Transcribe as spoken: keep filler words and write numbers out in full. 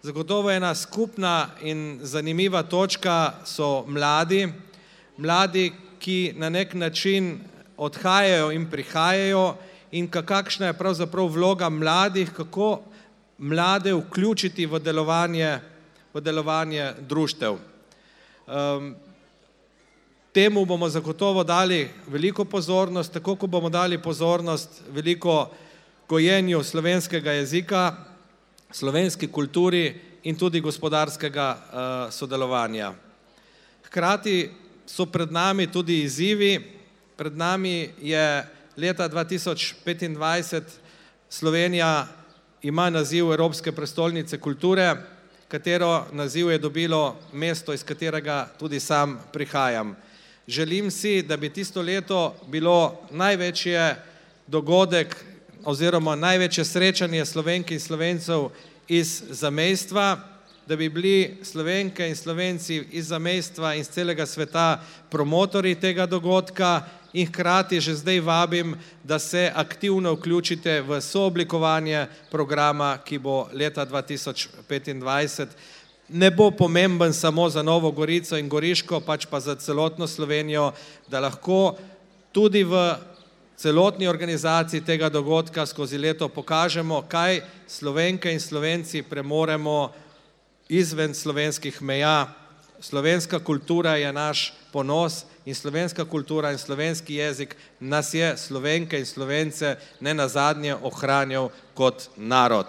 Zagotovo ena skupna in zanimiva točka so mladi, mladi, ki na nek način odhajajo in prihajajo in kakšna je pravzaprav vloga mladih, kako mlade vključiti v delovanje, v delovanje društev. Um, temu bomo zagotovo dali veliko pozornost, tako kot bomo dali pozornost veliko gojenju slovenskega jezika, slovenski kulturi in tudi gospodarskega uh, sodelovanja. Hkrati so pred nami tudi izzivi, pred nami je leta dva tisoč petindvajset Slovenija ima naziv Evropske prestolnice kulture, katero naziv je dobilo mesto, iz katerega tudi sam prihajam. Želim si, da bi tisto leto bilo največje dogodek oziroma največje srečanje Slovenk in Slovencev iz zamejstva, da bi bili Slovenke in Slovenci iz zamejstva in iz celega sveta promotorji tega dogodka in hkrati že zdaj vabim, da se aktivno vključite v sooblikovanje programa, ki bo leta dva tisoč petindvajset. Ne bo pomemben samo za Novo Gorico in Goriško, pač pa za celotno Slovenijo, da lahko tudi v celotni organizaciji tega dogodka skozi leto pokažemo, kaj Slovenke in Slovenci premoremo izven slovenskih meja. Slovenska kultura je naš ponos in slovenska kultura in slovenski jezik nas je Slovenke in Slovence ne nazadnje ohranjal kot narod.